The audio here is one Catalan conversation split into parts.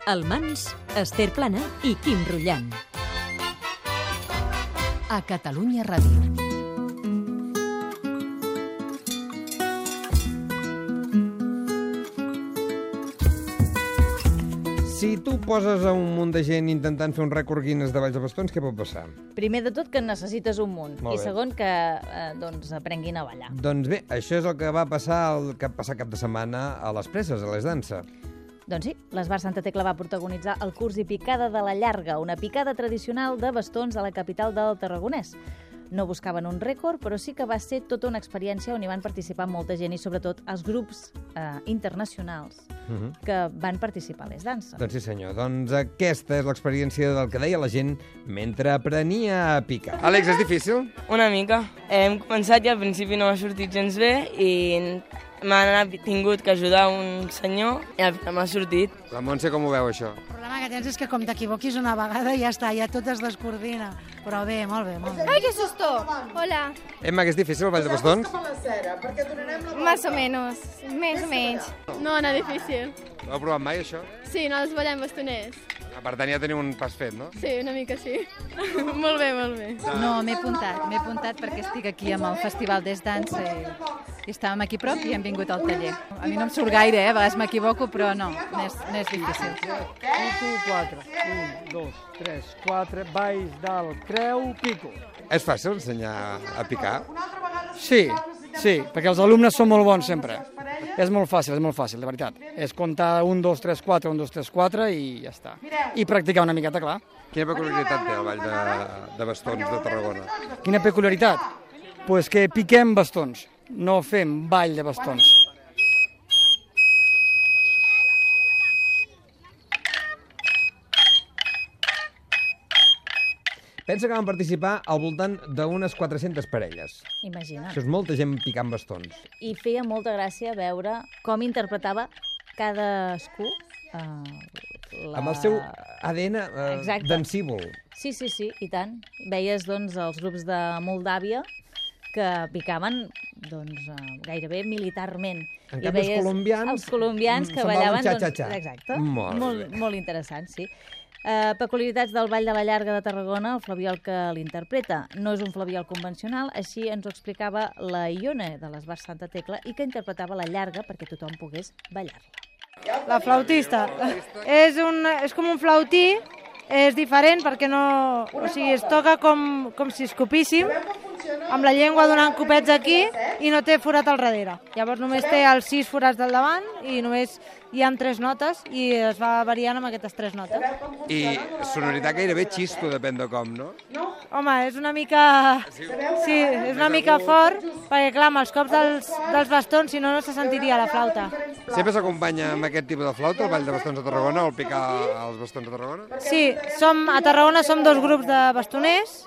El Mans, Esther Plana i Quim Rullant. A Catalunya Ràdio. Si tu poses a un munt de gent intentant fer un rècord Guinness de balls de bastons, què pot passar? Primer de tot, que necessites un munt. Molt I bé. segon, que aprenguin a ballar. Doncs bé, això és el que va passar el cap de setmana a les Preses, a les Dansa. Doncs sí, l'Esbar Santa Tecla va protagonitzar el curs i picada de la llarga, una picada tradicional de bastons a la capital del Tarragonès. No buscaven un rècord, però sí que va ser tota una experiència on hi van participar molta gent i sobretot els grups internacionals que van participar a les danses. Doncs sí, senyor. Doncs aquesta és l'experiència del que deia la gent mentre aprenia a picar. Àlex, és difícil? Una mica. Hem començat i al principi no m'ha sortit gens bé i m'ha tingut que ajudar un senyor i al final m'ha sortit. La Montse, com ho veu, això? El problema que tens és que com t'equivoquis una vegada ja està, ja tot es descoordina. Però bé, molt bé, molt bé. ¡Ay, qué susto! Hola. Emma, que és difícil el ball de bastons? Más o menos. Més o menys. No, no difícil. No heu provat mai, això? Sí, nosaltres ballem bastoners. Per tant, ja teniu un pas fet, no? Sí, una mica sí. Molt bé, molt bé. No, m'he apuntat perquè estic aquí amb el Festival des Dansa i estàvem aquí prop i hem vingut al taller. A mi no em surt gaire, a vegades m'equivoco, però no és difícil. 4, 1, 2, 3, 4, balls del creu, pico. És fàcil ensenyar a picar? Sí, perquè els alumnes són molt bons sempre. És molt fàcil, de veritat. És comptar 1, 2, 3, 4, 1, 2, 3, 4 i ja està. I practicar una miqueta, clar. Quina peculiaritat té el ball de bastons de Tarragona? Quina peculiaritat? Pues que piquem bastons, no fem ball de bastons. Pensa que van participar al voltant d'unes 400 parelles. Imagina't. Això és molta gent picant bastons. I feia molta gràcia veure com interpretava cadascú Amb el seu ADN dansívol. Sí, i tant. Veies, doncs, els grups de Moldàvia que picaven gairebé militarment. En canvi, els colombians que ballaven xa-xa-xa. Exacte. Molt interessant, sí. Peculiaritats del Ball de la Llarga de Tarragona, el flabiol que l'interpreta. No és un flabiol convencional, així ens ho explicava la Ione de l'Esbar Santa Tecla i que interpretava la llarga perquè tothom pogués ballar-la. La flautista. És com un flautí, és diferent perquè no... O sigui, es toca com si escopíssim, amb la llengua donant copets aquí i no té forat al darrere. Llavors només té els 6 forats del davant i només hi ha 3 notes i es va variant amb aquestes 3 notes. I sonoritat gairebé xisto, depèn de com, no? Home, és una mica... Sí, és una mica fort, perquè clar, amb els cops dels bastons, si no, no se sentiria la flauta. Sempre s'acompanya amb aquest tipus de flauta, el ball de bastons de Tarragona, o el picar els bastons de Tarragona? Sí, a Tarragona som 2 grups de bastoners,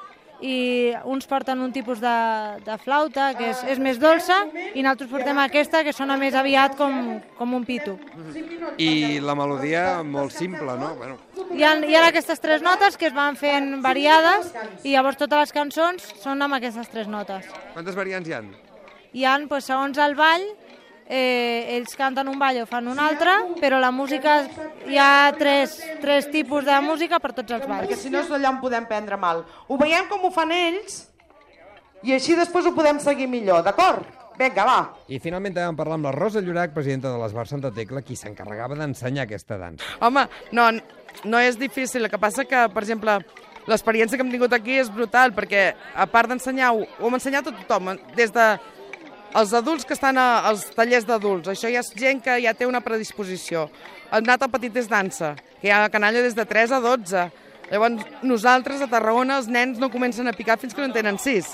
i uns porten un tipus de flauta que és més dolça i nosaltres portem aquesta que sona més aviat com un pito. I la melodia molt simple, no? Bueno. Hi ha aquestes 3 notes que es van fent variades i llavors totes les cançons són amb aquestes 3 notes. Quantes variants hi ha? Hi ha, segons el ball, ells canten un ball o fan un altre, però la música, hi ha 3 tipus de música per tots els balls. Perquè si no és allà on podem prendre mal. Ho veiem com ho fan ells i així després ho podem seguir millor, d'acord? Vinga, va. I finalment també vam parlar amb la Rosa Llorac, presidenta de l'Esbar Santa Tecla, qui s'encarregava d'ensenyar aquesta dansa. Home, no és difícil, el que passa que, per exemple, l'experiència que hem tingut aquí és brutal, perquè a part d'ensenyar-ho, ho hem ensenyat a tothom, des de els adults que estan als tallers d'adults, això ja és gent que ja té una predisposició. Hem anat al Petites Dansa, que hi ha canalla des de 3 a 12. Llavors, nosaltres a Tarragona els nens no comencen a picar fins que no en tenen 6.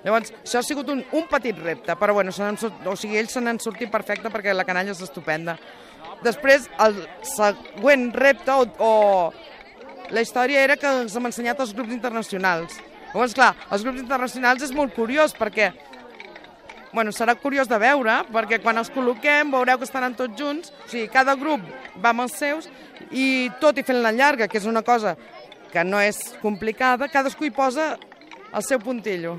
Llavors, això ha sigut un petit repte, però bueno, ells se n'han sortit perfecte perquè la canalla és estupenda. Després, el següent repte o la història era que ens hem ensenyat els grups internacionals. Llavors, clar, els grups internacionals és molt curiós perquè serà curiós de veure, perquè quan els col·loquem veureu que estaran tots junts, o sigui, cada grup va amb els seus i tot i fent la llarga, que és una cosa que no és complicada, cadascú hi posa el seu puntillo.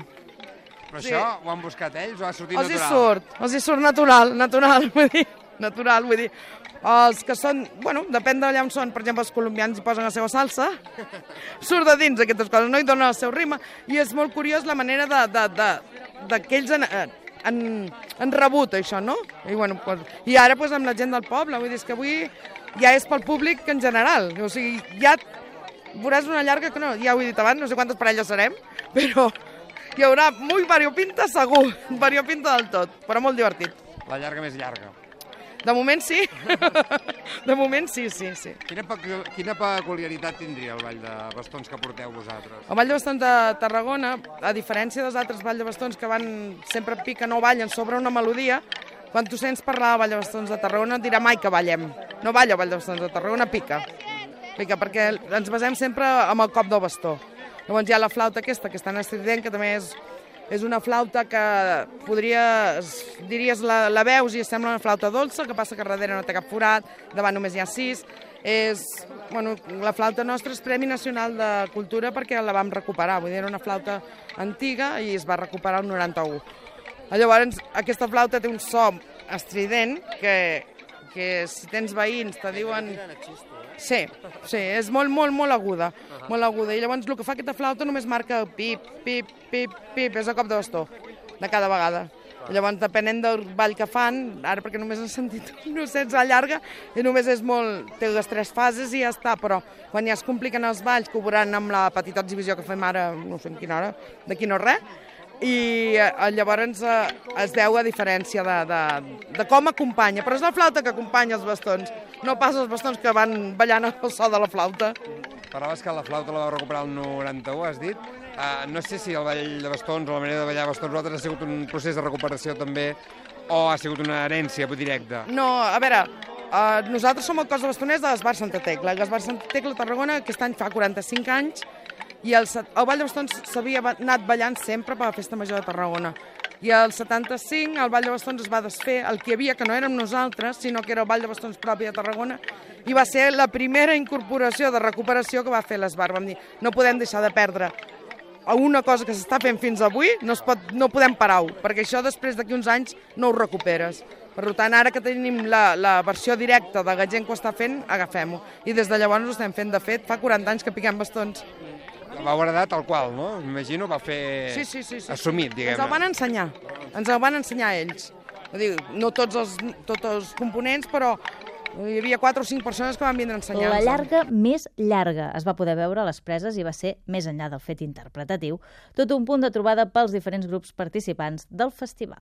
Però això ho han buscat ells o ha sortit natural? Els hi surt natural, vull dir. natural, vull dir, els que són, bueno, depèn d'allà on són, per exemple, els colombians hi posen la seva salsa, surt de dins aquestes coses, no hi donen el seu ritme, i és molt curiós la manera que ells han rebut això, no? I ara amb la gent del poble, vull dir, que avui ja és pel públic en general, o sigui, ja veuràs una llarga que no, ja ho he dit abans, no sé quantes parelles serem, però hi haurà molt variopinta segur, variopinta del tot, però molt divertit. La llarga més llarga. De moment sí, de moment sí. Quina peculiaritat tindria el Ball de Bastons que porteu vosaltres? El Ball de Bastons de Tarragona, a diferència dels altres Ball de Bastons que van sempre piquen o ballen sobre una melodia, quan tu sents parlar del Ball de Bastons de Tarragona et dirà mai que ballem. No balla el Ball de Bastons de Tarragona, pica, perquè ens basem sempre amb el cop del bastó. Llavors hi ha la flauta aquesta, que està en estrident, que també és una flauta que diries la veus i sembla una flauta dolça, que passa que darrere no té cap forat, davant només hi ha 6. La flauta nostra és Premi Nacional de Cultura perquè la vam recuperar, vull dir, era una flauta antiga i es va recuperar el 91. Llavors, aquesta flauta té un so estrident que si tens veïns te diuen... Sí, és molt aguda, i llavors el que fa aquesta flauta només marca pip, pip, pip, pip, és el cop de bastó de cada vegada. Llavors, depenent del ball que fan, ara perquè només has sentit un ossets a llarga, i només té les 3 fases i ja està, però quan ja es compliquen els balls, que ho veuran amb la petita exhibició que fem ara, no sé en quina hora, d'aquí no res, i llavors es veu a diferència de com acompanya, però és la flauta que acompanya els bastons, no pas els bastons que van ballant al so de la flauta. Parlaves que la flauta la vau recuperar el 91, has dit. No sé si el ball de bastons o la manera de ballar bastons vosaltres ha sigut un procés de recuperació també o ha sigut una herència directa? No, a veure, nosaltres som el cos de bastoners de l'Esbar Santa Tecla. L'Esbar Santa Tecla a Tarragona aquest any fa 45 anys i el ball de bastons s'havia anat ballant sempre per la Festa Major de Tarragona. I el 75 el ball de bastons es va desfer, el que hi havia, que no érem nosaltres, sinó que era el ball de bastons propi de Tarragona, i va ser la primera incorporació de recuperació que va fer l'Esbar. Vam dir, no podem deixar de perdre una cosa que s'està fent fins avui, no podem parar-ho, perquè això després d'aquí uns anys no ho recuperes. Per tant, ara que tenim la versió directa de la gent que ho està fent, agafem-ho. I des de llavors ho estem fent. De fet, fa 40 anys que piquem bastons. Vau heredar tal qual, no? M'imagino, va fer assumit, diguem-ne. Ens el van ensenyar ells. No tots els components, però hi havia 4 o 5 persones que van vindre a ensenyar-nos. La llarga més llarga es va poder veure a les preses i va ser, més enllà del fet interpretatiu, tot un punt de trobada pels diferents grups participants del festival.